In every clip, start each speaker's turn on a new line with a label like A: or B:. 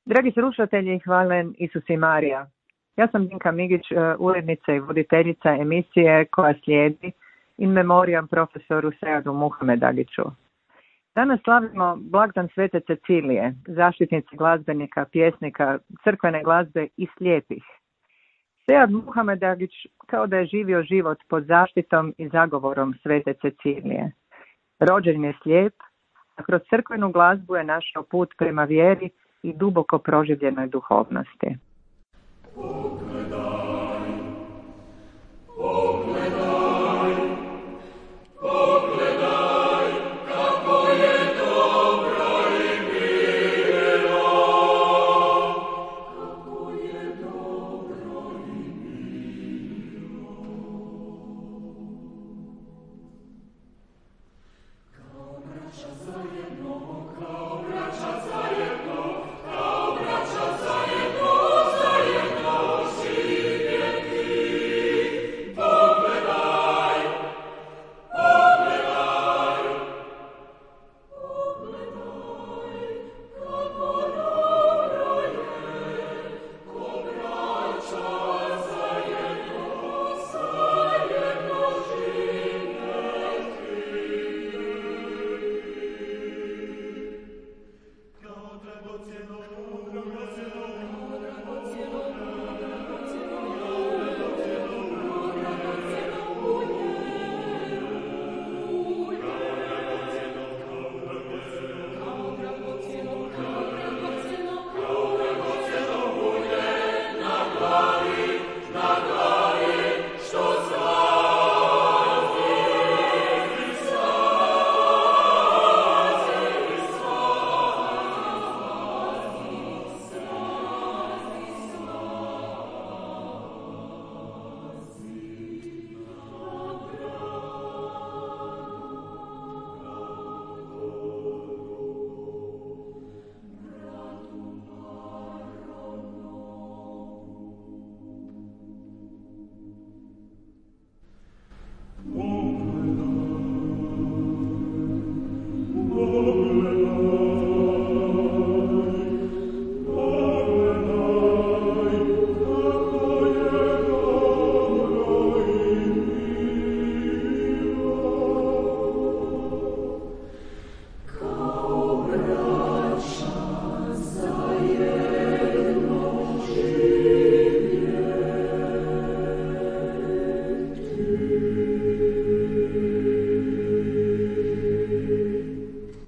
A: Dragi slušatelji, hvalen Isus i Marija. Ja sam Dinka Migić, urednica i voditeljica emisije koja slijedi in memoriam profesoru Seadu Muhamedagiću. Danas slavimo blagdan Svete Cecilije, zaštitnice glazbenika, pjesnika, crkvene glazbe i slijepih. Sead Muhamedagić kao da je živio život pod zaštitom i zagovorom Svete Cecilije. Rođen je slijep, a kroz crkvenu glazbu je našao put prema vjeri i duboko proživljenoj duhovnosti.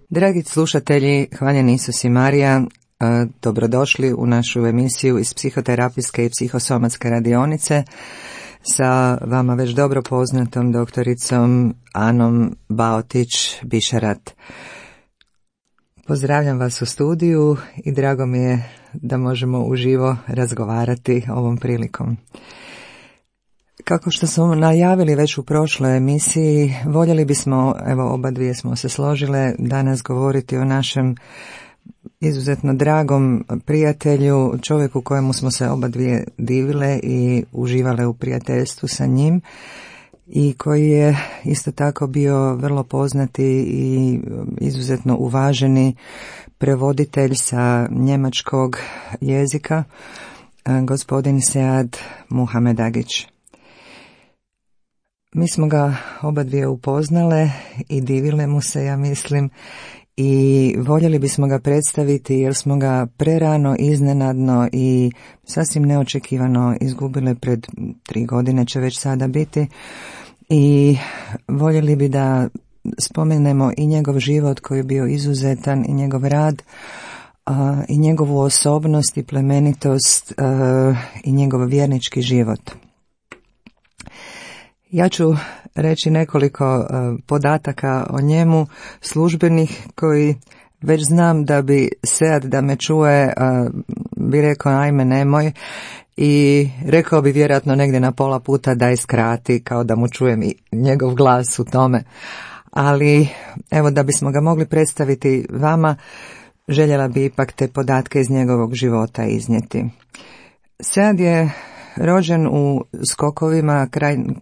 B: Dragi slušatelji, hvaljen Isus i Marija, dobrodošli u našu emisiju iz psihoterapijske i psihosomatske radionice sa vama već dobro poznatom doktoricom Anom Baotić-Bišarat. Pozdravljam vas u studiju i drago mi je da možemo uživo razgovarati ovom prilikom. Kako što smo najavili već u prošloj emisiji, voljeli bismo, evo oba dvije smo se složile, danas govoriti o našem izuzetno dragom prijatelju, čovjeku kojemu smo se oba dvije divile i uživale u prijateljstvu sa njim i koji je isto tako bio vrlo poznati i izuzetno uvaženi prevoditelj sa njemačkog jezika, gospodin Sead Muhamedagić. Mi smo ga oba dvije upoznale i divile mu se, ja mislim, i voljeli bismo ga predstaviti jer smo ga prerano, iznenadno i sasvim neočekivano izgubile pred 3 godine će već sada biti i voljeli bi da spomenemo i njegov život koji je bio izuzetan i njegov rad i njegovu osobnost i plemenitost i njegov vjernički život. Ja ću reći nekoliko podataka o njemu, službenih, koji već znam da bi Sead da me čuje, bi rekao ajme nemoj i rekao bi vjerojatno negdje na pola puta da je skrati, kao da mu čujem i njegov glas u tome. Ali evo da bismo ga mogli predstaviti vama, željela bi ipak te podatke iz njegovog života iznijeti. Sead je rođen u Skokovima,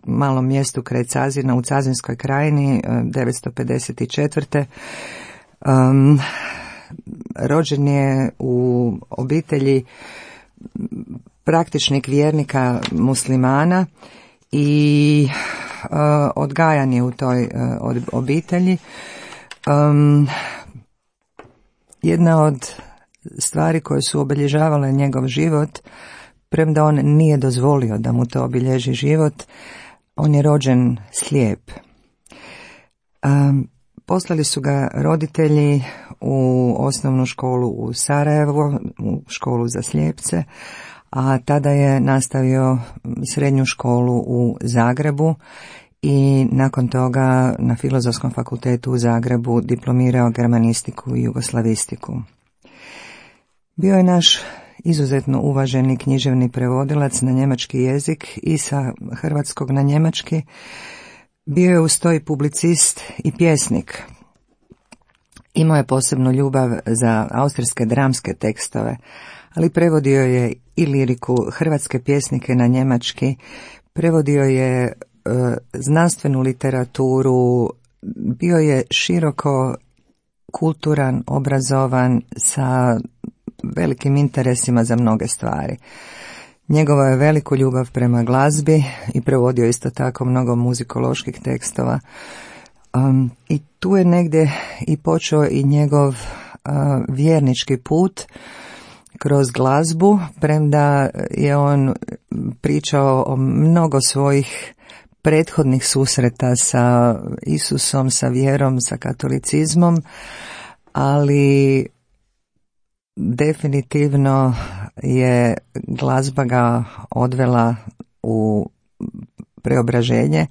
B: malom mjestu kraj Cazina u Cazinskoj krajini, 954. rođen je u obitelji praktičnih vjernika muslimana i odgajan je u toj obitelji. Jedna od stvari koje su obilježavale njegov život, premda on nije dozvolio da mu to obilježi život, on je rođen slijep. Poslali su ga roditelji u osnovnu školu u Sarajevo, u školu za slijepce, a tada je nastavio srednju školu u Zagrebu i nakon toga na Filozofskom fakultetu u Zagrebu diplomirao germanistiku i jugoslavistiku. Bio je naš izuzetno uvaženi književni prevodilac na njemački jezik i sa hrvatskog na njemački. Bio je uz to i publicist i pjesnik. Imao je posebnu ljubav za austrijske dramske tekstove, ali prevodio je i liriku, hrvatske pjesnike na njemački, prevodio je znanstvenu literaturu, bio je široko kulturan, obrazovan, sa velikim interesima za mnoge stvari. Njegovo je veliku ljubav prema glazbi i prevodio isto tako mnogo muzikoloških tekstova. I tu je negdje i počeo i njegov vjernički put kroz glazbu, premda je on pričao o mnogo svojih prethodnih susreta sa Isusom, sa vjerom, sa katolicizmom, ali definitivno je glazba ga odvela u preobraženje.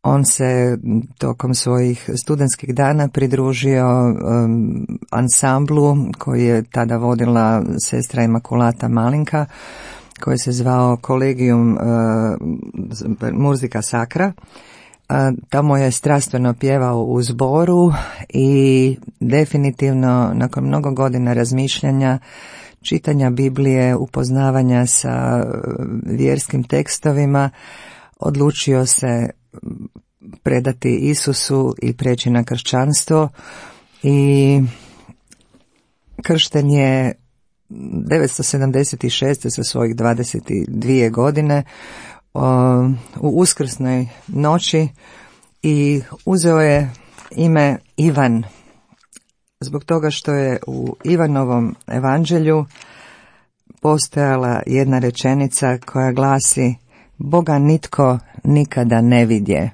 B: On se tokom svojih studentskih dana pridružio ansamblu koji je tada vodila sestra Imakulata Malinka, koji se zvao Collegium Musica Sacra. Tamo je strastveno pjevao u zboru i definitivno nakon mnogo godina razmišljanja, čitanja Biblije, upoznavanja sa vjerskim tekstovima, odlučio se predati Isusu i preći na kršćanstvo i kršten je 976. sa svojih 22 godine u uskrsnoj noći i uzeo je ime Ivan zbog toga što je u Ivanovom evanđelju postojala jedna rečenica koja glasi: Boga nitko nikada ne vidje.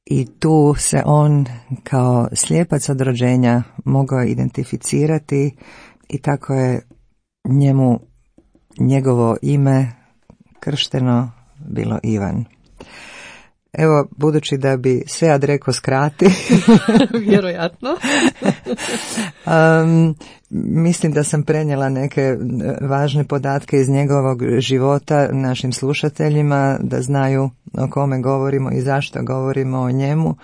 B: I tu se on kao slijepac od rođenja mogao identificirati i tako je njemu njegovo ime kršteno bilo Ivan. Evo, budući da bi Sead rekao skrati.
C: Vjerojatno.
B: Mislim da sam prenijela neke važne podatke iz njegovog života našim slušateljima, da znaju o kome govorimo i zašto govorimo o njemu.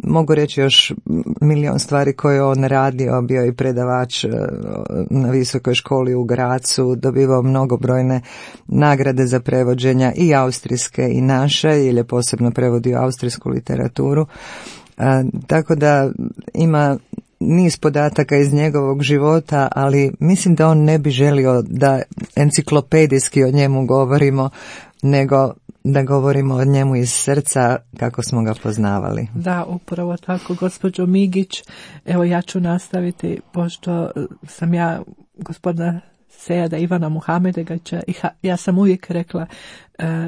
B: Mogu reći još milion stvari koje on radio, bio je predavač na visokoj školi u Gracu, dobivao mnogobrojne nagrade za prevođenja i austrijske i naše, jer je posebno prevodio austrijsku literaturu. Tako da ima niz podataka iz njegovog života, ali mislim da on ne bi želio da enciklopedijski o njemu govorimo, nego da govorimo o njemu iz srca kako smo ga poznavali.
C: Da, upravo tako, gospođo Migić. Evo, ja ću nastaviti, pošto sam ja gospodina Seada Ivana Muhamedegaća i ja sam uvijek rekla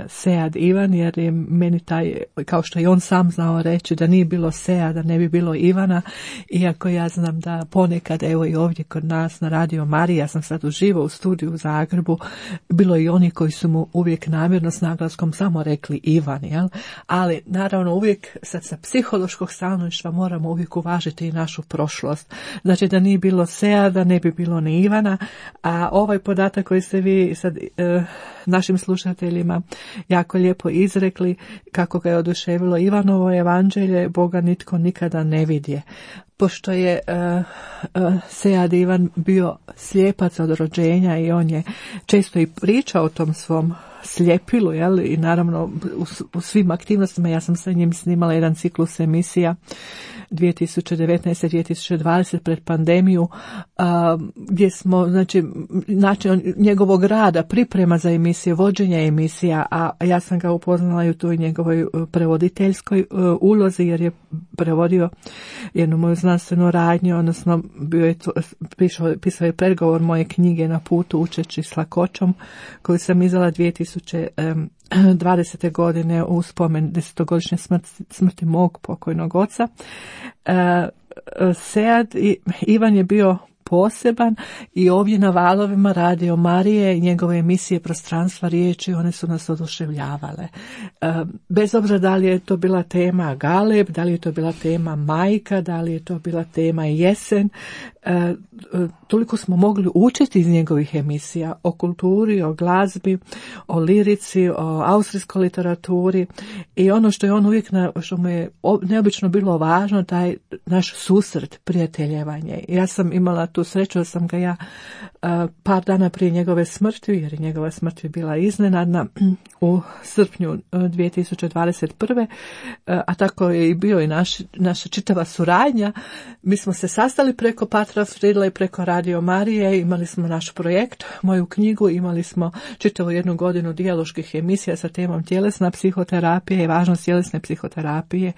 C: Sead Ivan, jer je meni taj, kao što i on sam znao reći, da nije bilo Seada, ne bi bilo Ivana, iako ja znam da ponekad, evo i ovdje kod nas na Radio Marija, ja sam sad uživo u studiju u Zagrebu, bilo i oni koji su mu uvijek namjerno s naglaskom samo rekli Ivan, jel? Ali naravno uvijek sad sa psihološkog stanovišta moramo uvijek uvažiti i našu prošlost. Znači da nije bilo Seada, ne bi bilo ni Ivana, a ovaj podatak koji ste vi sad našim slušateljima jako lijepo izrekli, kako ga je oduševilo Ivanovo evanđelje, Boga nitko nikada ne vidje. Pošto je Sead Ivan bio slijepac od rođenja i on je često i pričao o tom svom sljepilu, jel? I naravno u svim aktivnostima ja sam sa njim snimala jedan ciklus emisija 2019-2020 pred pandemiju, gdje smo, znači, način njegovog rada, priprema za emisije, vođenja emisija, a ja sam ga upoznala i u toj njegovoj prevoditeljskoj ulozi, jer je prevodio jednu moju znanstvenu radnju, odnosno pisao je predgovor moje knjige Na putu učeći s lakoćom, koju sam izdala 2020. godine u spomen 10-godišnje smrti mog pokojnog oca. Sead Ivan je bio poseban i ovdje na valovima Radio Marije i njegove emisije Prostranstva riječi, one su nas oduševljavale. Bez obzira da li je to bila tema Galeb, da li je to bila tema Majka, da li je to bila tema Jesen, toliko smo mogli učiti iz njegovih emisija o kulturi, o glazbi, o lirici, o austrijskoj literaturi i ono što je on uvijek, što mu je neobično bilo važno, taj naš susret, prijateljevanje. Ja sam imala tu sreću da sam ga ja par dana prije njegove smrti, jer je njegova smrt je bila iznenadna, u srpnju 2021. A tako je i bio i naša čitava suradnja. Mi smo se sastali preko Patra Fridla i preko Radio Marije, imali smo naš projekt, moju knjigu, imali smo čitavu 1 godinu dijaloških emisija sa temom tjelesna psihoterapija i važnost tjelesne psihoterapije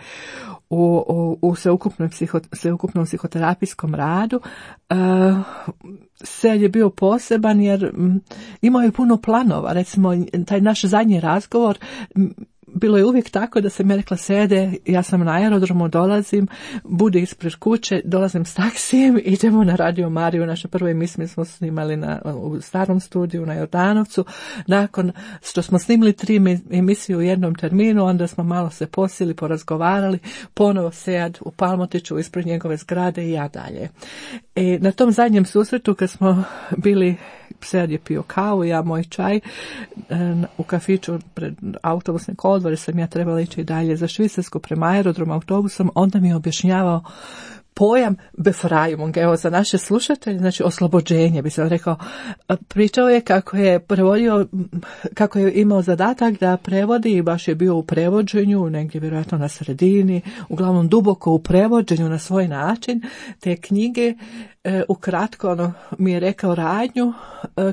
C: u sveukupnom psihoterapijskom radu. Sead je bio poseban jer imao je puno planova. Recimo, taj naš zadnji razgovor, bilo je uvijek tako da sam ja rekla: Seade, ja sam na aerodromu, dolazim, budi ispred kuće, dolazim s taksijem, idemo na Radio Mariju. Naše prve emisije smo snimali u starom studiju na Jordanovcu. Nakon što smo snimili 3 emisije u jednom terminu, onda smo malo se posjeli, porazgovarali, ponovo Sead u Palmotiću ispred njegove zgrade i ja dalje. Na tom zadnjem susretu kad smo bili, Sead je pio kavu, ja moj čaj, u kafiću pred autobusne kolodvore sam ja trebala ići dalje za Švicarsku prema aerodromu autobusom, onda mi je objašnjavao pojam Befreiung, evo za naše slušatelje, znači oslobođenje, bi se rekao. Pričao je kako je prevodio, kako je imao zadatak da prevodi i baš je bio u prevođenju, negdje vjerojatno na sredini, uglavnom duboko u prevođenju na svoj način, te knjige. Ukratko, ono mi je rekao radnju,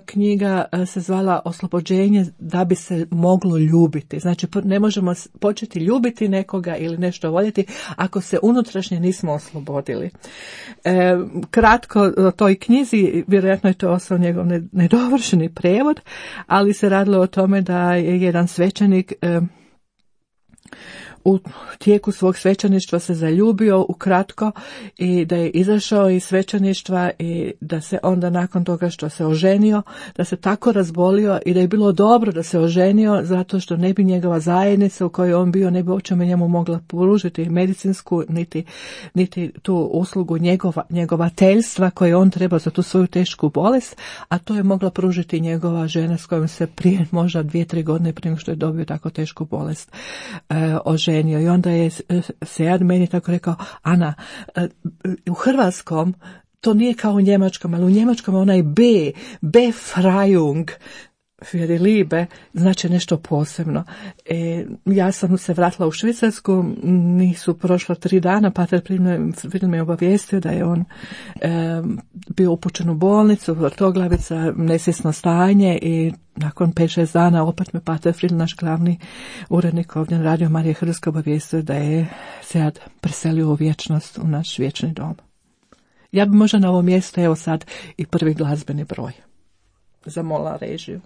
C: knjiga se zvala Oslobođenje da bi se moglo ljubiti. Znači, ne možemo početi ljubiti nekoga ili nešto voljeti ako se unutrašnje nismo oslobodili. Kratko o toj knjizi, vjerojatno je to ostao njegov nedovršeni prevod, ali se radilo o tome da je jedan svećenik u tijeku svog svećeništva se zaljubio ukratko i da je izašao iz svećeništva i da se onda nakon toga što se oženio, da se tako razbolio i da je bilo dobro da se oženio zato što ne bi njegova zajednica u kojoj on bio ne bi uopće njemu mogla pružiti medicinsku niti tu uslugu njegovateljstva koje on treba za tu svoju tešku bolest, a to je mogla pružiti njegova žena s kojom se prije možda 2-3 godine prije nego što je dobio tako tešku bolest oženio. I onda je Sead meni tako rekao: Ana, u hrvatskom to nije kao u njemačkom, ali u njemačkom onaj Befreiung für die Liebe znači nešto posebno. Ja sam se vratila u Švicarsku, nisu prošla 3 dana, Pater Fridl me obavijestio da je on bio upućen u bolnicu, vrtoglavica, nesvjesno stanje i nakon 5-6 dana opet me Pater Fridl, naš glavni urednik ovdje na Radio Marije Hrvatske, obavijestio da je Sead preselio u vječnost, u naš vječni dom. Ja bi možda na ovo mjesto evo sad i prvi glazbeni broj zamolila režiju.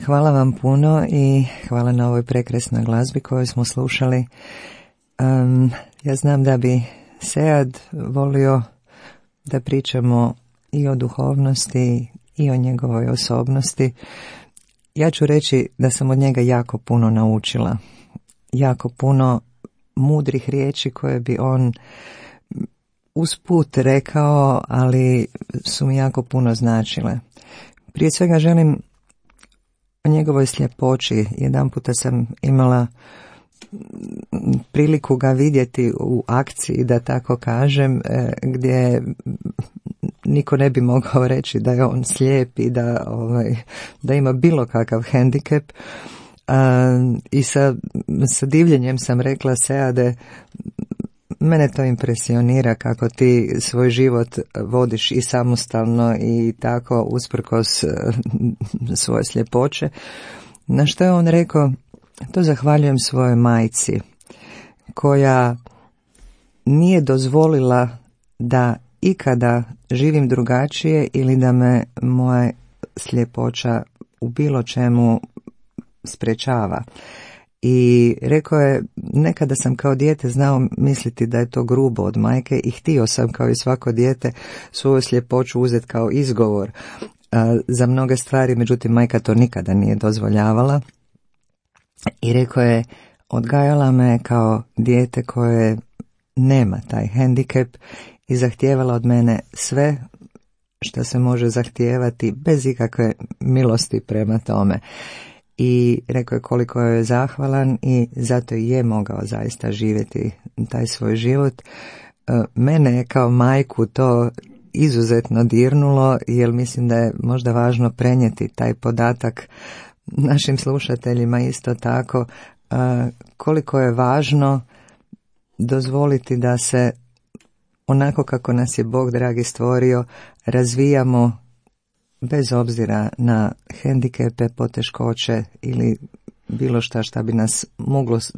B: Hvala vam puno i hvala na ovoj prekrasnoj glazbi koju smo slušali. Ja znam da bi Sead volio da pričamo i o duhovnosti i o njegovoj osobnosti. Ja ću reći da sam od njega jako puno naučila. Jako puno mudrih riječi koje bi on usput rekao, ali su mi jako puno značile. Prije svega želim o njegovoj sljepoći. Jedanputa sam imala priliku ga vidjeti u akciji, da tako kažem, gdje niko ne bi mogao reći da je on slijep i da ima bilo kakav hendikep. I sa divljenjem sam rekla: Seade, mene to impresionira kako ti svoj život vodiš i samostalno i tako usprkos svoje sljepoće. Na što je on rekao: to zahvaljujem svojoj majci, koja nije dozvolila da ikada živim drugačije ili da me moja sljepoća u bilo čemu sprečava. I rekao je: nekada sam kao dijete znao misliti da je to grubo od majke i htio sam kao i svako dijete svoju sljepoću uzeti kao izgovor za mnoge stvari, međutim majka to nikada nije dozvoljavala. I rekao je: odgajala me kao dijete koje nema taj hendikep i zahtijevala od mene sve što se može zahtijevati bez ikakve milosti prema tome. I rekao je koliko je zahvalan i zato je mogao zaista živjeti taj svoj život. Mene je kao majku to izuzetno dirnulo, jer mislim da je možda važno prenijeti taj podatak našim slušateljima isto tako, koliko je važno dozvoliti da se onako kako nas je Bog dragi stvorio razvijamo bez obzira na hendikepe, poteškoće ili bilo šta bi nas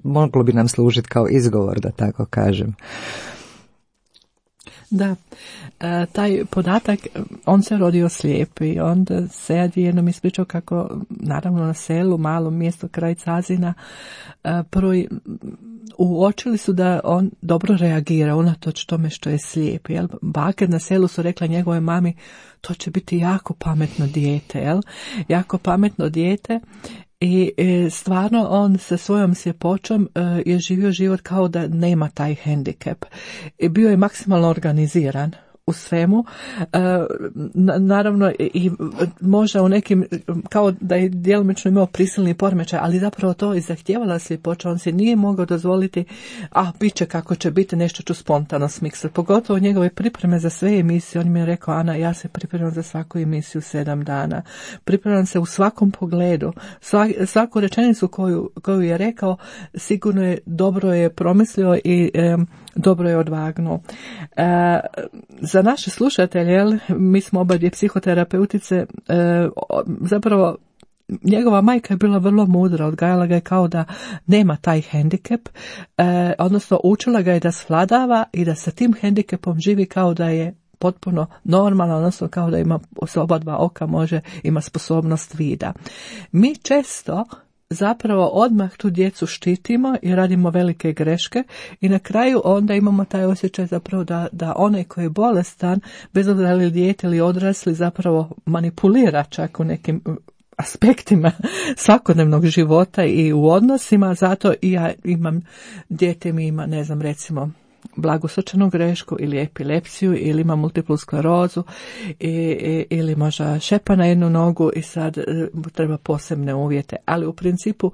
B: moglo bi nam služiti kao izgovor, da tako kažem.
C: Da, taj podatak, on se rodio slijep i onda Sead je jednom ispričao kako, naravno na selu, malom mjestu kraj Cazina, uočili su da on dobro reagira unatoč tome što je slijep. Jel? Bake na selu su rekla njegovoj mami: to će biti jako pametno dijete, jel? Jako pametno dijete. I stvarno on sa svojom sljepoćom je živio život kao da nema taj hendikep. I bio je maksimalno organiziran u svemu. Naravno i možda u nekim, kao da je djelomično imao prisilni poremećaj, ali zapravo to i zahtijevala sljepoća. On se nije mogao dozvoliti: bit će kako će biti, nešto ću spontano smiksati. Pogotovo njegove pripreme za sve emisije. On mi je rekao: Ana, ja se pripremam za svaku emisiju 7 dana. Pripremam se u svakom pogledu. Svaku rečenicu koju je rekao sigurno je dobro je promislio i dobro je odvagnuo. Za naše slušatelje, mi smo obadvije psihoterapeutice, zapravo njegova majka je bila vrlo mudra, odgajala ga je kao da nema taj hendikep, odnosno učila ga je da svladava i da sa tim hendikepom živi kao da je potpuno normalno, odnosno kao da ima s oba dva oka ima sposobnost vida. Mi često zapravo odmah tu djecu štitimo i radimo velike greške i na kraju onda imamo taj osjećaj zapravo da onaj koji je bolestan, bez obzira li dijete ili odrasli, zapravo manipulira čak u nekim aspektima svakodnevnog života i u odnosima. Zato i ja imam, dijete mi ima, ne znam, recimo blagu srčanu grešku ili epilepsiju ili ima multiplu sklerozu ili možda šepa na jednu nogu i sad treba posebne uvjete. Ali u principu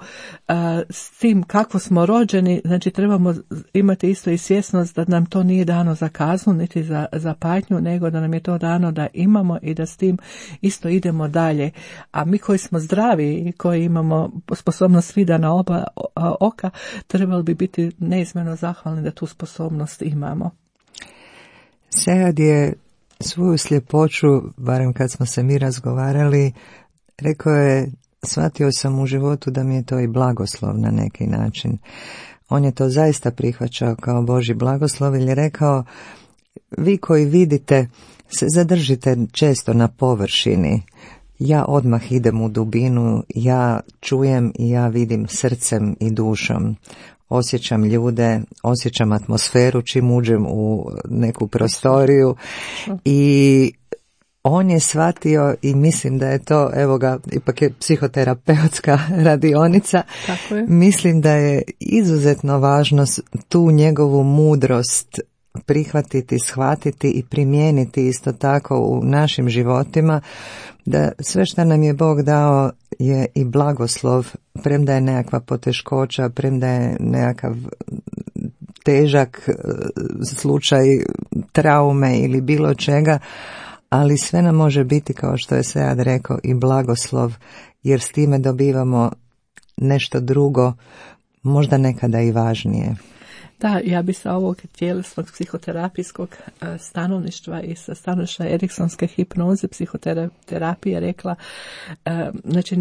C: s tim kako smo rođeni, znači trebamo imati isto i svjesnost da nam to nije dano za kaznu niti za patnju, nego da nam je to dano da imamo i da s tim isto idemo dalje. A mi koji smo zdravi i koji imamo sposobnost vida na oba oka, trebali bi biti neizmjerno zahvalni da tu sposobnost imamo.
B: Sead je svoju sljepoću, barem kad smo se mi razgovarali, rekao je: shvatio sam u životu da mi je to i blagoslov na neki način. On je to zaista prihvaćao kao Božji blagoslov, jer je rekao: vi koji vidite se zadržite često na površini, ja odmah idem u dubinu, ja čujem i ja vidim srcem i dušom. Osjećam ljude, osjećam atmosferu čim uđem u neku prostoriju i on je shvatio i mislim da je to, evo ga, ipak je psihoterapeutska radionica.
C: Tako je.
B: Mislim da je izuzetno važno tu njegovu mudrost prihvatiti, shvatiti i primijeniti isto tako u našim životima, da sve što nam je Bog dao je i blagoslov, premda je nekakva poteškoća, premda je nekakav težak slučaj traume ili bilo čega, ali sve nam može biti, kao što je Sead rekao, i blagoslov, jer s time dobivamo nešto drugo, možda nekada i važnije.
C: Da, ja bi sa ovog tjelesnog psihoterapijskog stanovništva i sa stanovišta eriksonske hipnoze, psihoterapije rekla, znači,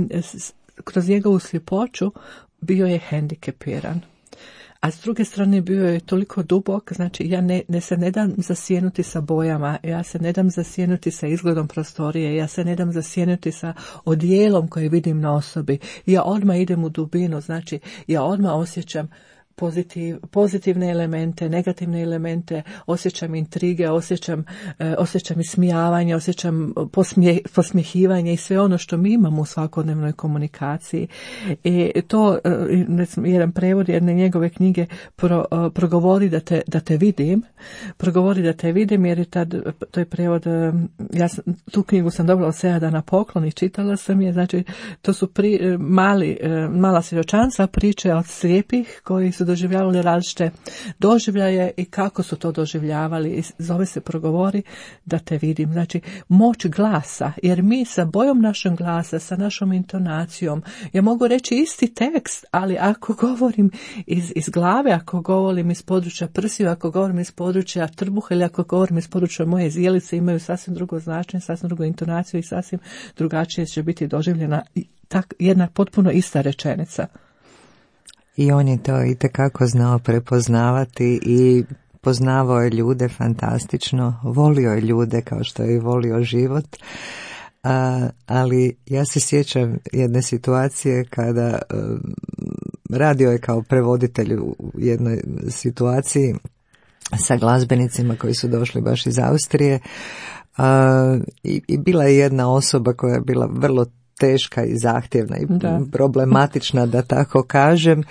C: kroz njegovu sljepoću bio je hendikepiran. A s druge strane bio je toliko dubok, znači ja se ne dam zasjenuti sa bojama, ja se ne dam zasjenuti sa izgledom prostorije, ja se ne dam zasjenuti sa odijelom koje vidim na osobi. Ja odmah idem u dubinu, znači ja odmah osjećam pozitivne elemente, negativne elemente, osjećam intrige, osjećam ismijavanje, osjećam posmjehivanje i sve ono što mi imamo u svakodnevnoj komunikaciji. I to, jedan prevod jedne njegove knjige progovori da te vidim, jer je to je prevod, tu knjigu sam dobila od Seada na poklon i čitala sam je, znači to su mala svjedočanstva, priče od slijepih koji su doživljavali različite doživljaje i kako su to doživljavali. I zove se progovori da te vidim. Znači, moć glasa, jer mi sa bojom našeg glasa, sa našom intonacijom, ja mogu reći isti tekst, ali ako govorim iz glave, ako govorim iz područja prsiju, ako govorim iz područja trbuha ili ako govorim iz područja moje zijelice, imaju sasvim drugo značenje, sasvim drugu intonaciju i sasvim drugačije će biti doživljena jedna potpuno ista rečenica.
B: I on je to itekako znao prepoznavati i poznavao je ljude fantastično, volio je ljude kao što je i volio život, ali ja se sjećam jedne situacije kada radio je kao prevoditelj u jednoj situaciji sa glazbenicima koji su došli baš iz Austrije i bila je jedna osoba koja je bila vrlo teška i zahtjevna i problematična, da tako kažem.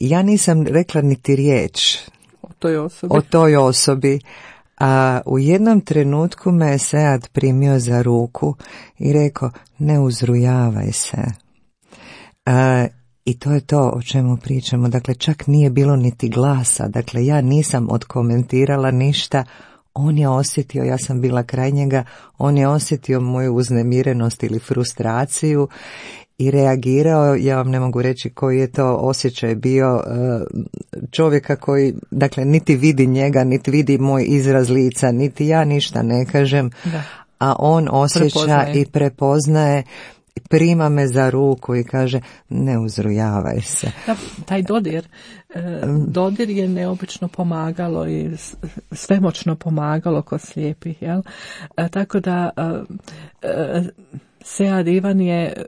B: Ja nisam rekla niti riječ o toj osobi, a u jednom trenutku me Sead primio za ruku i rekao, ne uzrujavaj se. I to je to o čemu pričamo. Dakle, čak nije bilo niti glasa. Dakle, ja nisam odkomentirala ništa. On je osjetio, ja sam bila kraj njega, on je osjetio moju uznemirenost ili frustraciju i reagirao. Ja vam ne mogu reći koji je to osjećaj bio čovjeka koji, dakle, niti vidi njega, niti vidi moj izraz lica, niti ja ništa ne kažem, a on osjeća i prepoznaje, prima me za ruku i kaže, ne uzrujavaj se.
C: Da, taj dodir je neobično pomagalo i svemoćno pomagalo kod slijepih, jel? Tako da Sead Ivan je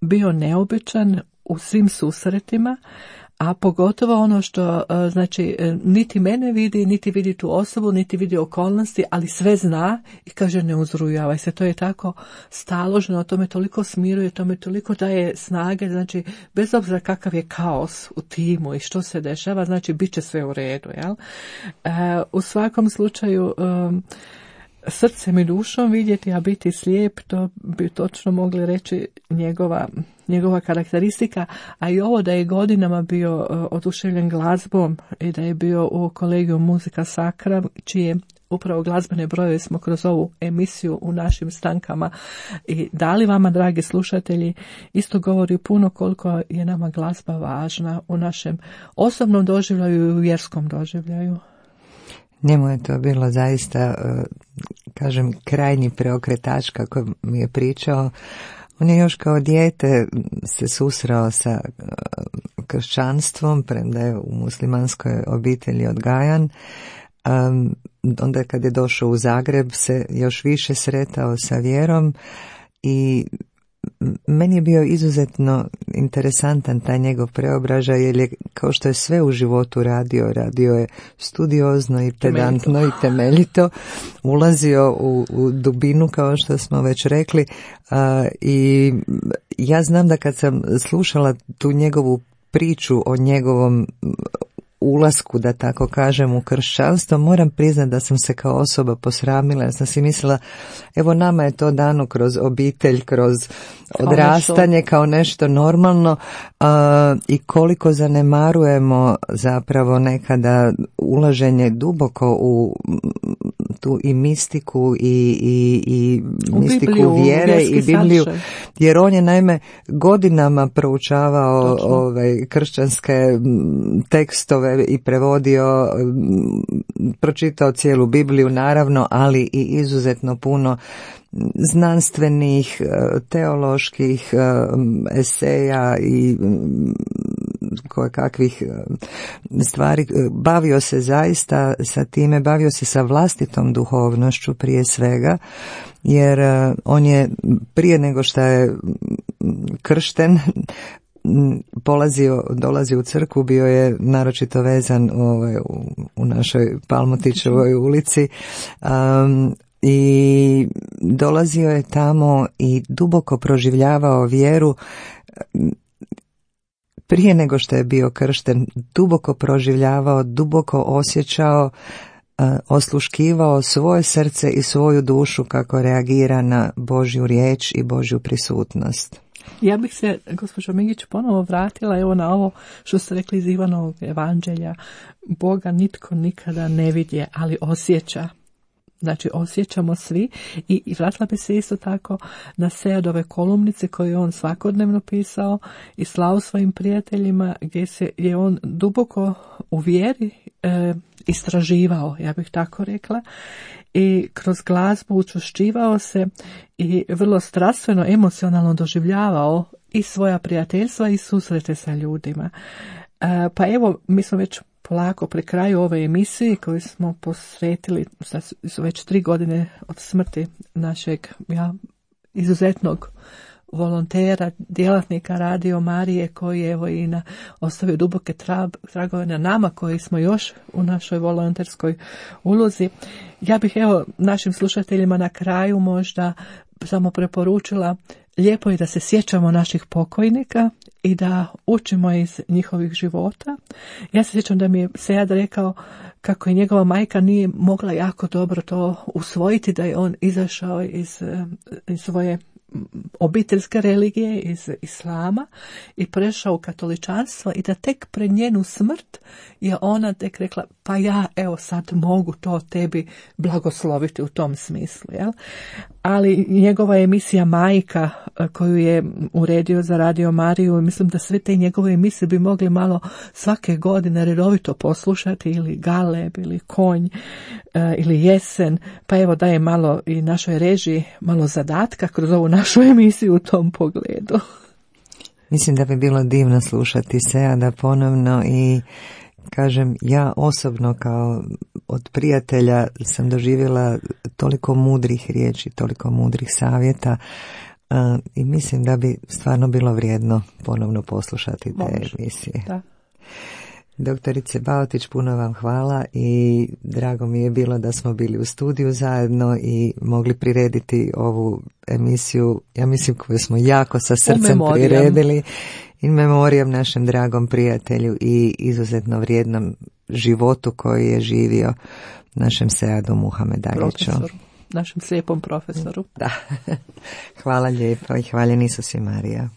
C: bio neobičan u svim susretima, a pogotovo ono što, znači, niti mene vidi, niti vidi tu osobu, niti vidi okolnosti, ali sve zna i kaže, ne uzrujavaj se. To je tako staloženo, to me toliko smiruje, to me toliko daje snage, znači, bez obzira kakav je kaos u timu i što se dešava, znači, bit će sve u redu, jel? U svakom slučaju, srcem i dušom vidjeti, a biti slijep, to bi točno mogli reći njegova karakteristika, a i ovo da je godinama bio oduševljen glazbom i da je bio u kolegiju Muzika Sacra, čije upravo glazbene brojeve smo kroz ovu emisiju u našim stankama i dali vama, dragi slušatelji, isto govori puno koliko je nama glazba važna u našem osobnom doživljaju i u vjerskom doživljaju.
B: Njemu je to bilo zaista, kažem, krajnji preokretač, kako mi je pričao. On je još kao dijete se susreo sa kršćanstvom, premda je u muslimanskoj obitelji odgajan. Onda kad je došao u Zagreb se još više sretao sa vjerom i meni je bio izuzetno interesantan taj njegov preobražaj, jer je, kao što je sve u životu radio je studiozno i pedantno i temeljito, ulazio u dubinu, kao što smo već rekli, i ja znam da kad sam slušala tu njegovu priču o njegovom ulasku, da tako kažem, u kršćanstvo, moram priznati da sam se kao osoba posramila, jer sam si mislila, evo nama je to dano kroz obitelj, kroz odrastanje, kao nešto normalno, i koliko zanemarujemo zapravo nekada ulaženje duboko u tu i mistiku i mistiku Bibliju, vjere i Bibliju, jer on je naime godinama proučavao kršćanske tekstove i prevodio, pročitao cijelu Bibliju naravno, ali i izuzetno puno znanstvenih, teoloških eseja i kakvih stvari. Bavio se zaista sa time, bavio se sa vlastitom duhovnošću prije svega, jer on je prije nego što je kršten dolazi u crkvu, bio je naročito vezan u našoj Palmotićevoj ulici, i dolazio je tamo i duboko proživljavao vjeru. Prije nego što je bio kršten, duboko proživljavao, duboko osjećao, osluškivao svoje srce i svoju dušu kako reagira na Božju riječ i Božju prisutnost.
C: Ja bih se, gospođo Migić, ponovo vratila evo na ovo što ste rekli iz Ivanovog evanđelja. Boga nitko nikada ne vidje, ali osjeća. Znači, osjećamo svi i vratila bi se isto tako na Sejadove kolumnice koje je on svakodnevno pisao i slao svojim prijateljima, gdje je on duboko u vjeri istraživao, ja bih tako rekla, i kroz glazbu učvršćivao se i vrlo strastveno, emocionalno doživljavao i svoja prijateljstva i susrete sa ljudima. Pa evo, mi smo već polako pri kraju ove emisije koju smo posvetili, su već 3 godine od smrti našeg izuzetnog volontera, djelatnika Radio Marije, koji je evo i ostavio duboke tragove na nama koji smo još u našoj volonterskoj ulozi. Ja bih evo našim slušateljima na kraju možda samo preporučila, lijepo je da se sjećamo naših pokojnika i da učimo iz njihovih života. Ja se sjećam da mi je Sejad rekao kako je njegova majka nije mogla jako dobro to usvojiti, da je on izašao iz svoje obiteljske religije, iz islama i prešao u katoličanstvo i da tek pred njenu smrt je ona tek rekla, pa ja evo sad mogu to tebi blagosloviti u tom smislu. Jel? Ali njegova emisija Majka koju je uredio za Radio Mariju, mislim da sve te njegove emisije bi mogli malo svake godine redovito poslušati, ili Galeb, ili Konj, ili Jesen, pa evo daje malo i našoj režiji malo zadatka kroz ovu našu emisiju u tom pogledu.
B: Mislim da bi bilo divno slušati Sejada ponovno i kažem, ja osobno kao od prijatelja sam doživjela toliko mudrih riječi, toliko mudrih savjeta i mislim da bi stvarno bilo vrijedno ponovno poslušati te emisije. Da. Doktorice Baotić, puno vam hvala i drago mi je bilo da smo bili u studiju zajedno i mogli prirediti ovu emisiju, ja mislim koju smo jako sa srcem priredili, in memoriam našem dragom prijatelju i izuzetno vrijednom životu koji je živio našem Sejadu Muhamedagiću.
C: Našem slijepom profesoru.
B: Da. Hvala lijepo i hvaljen Isus i Marija.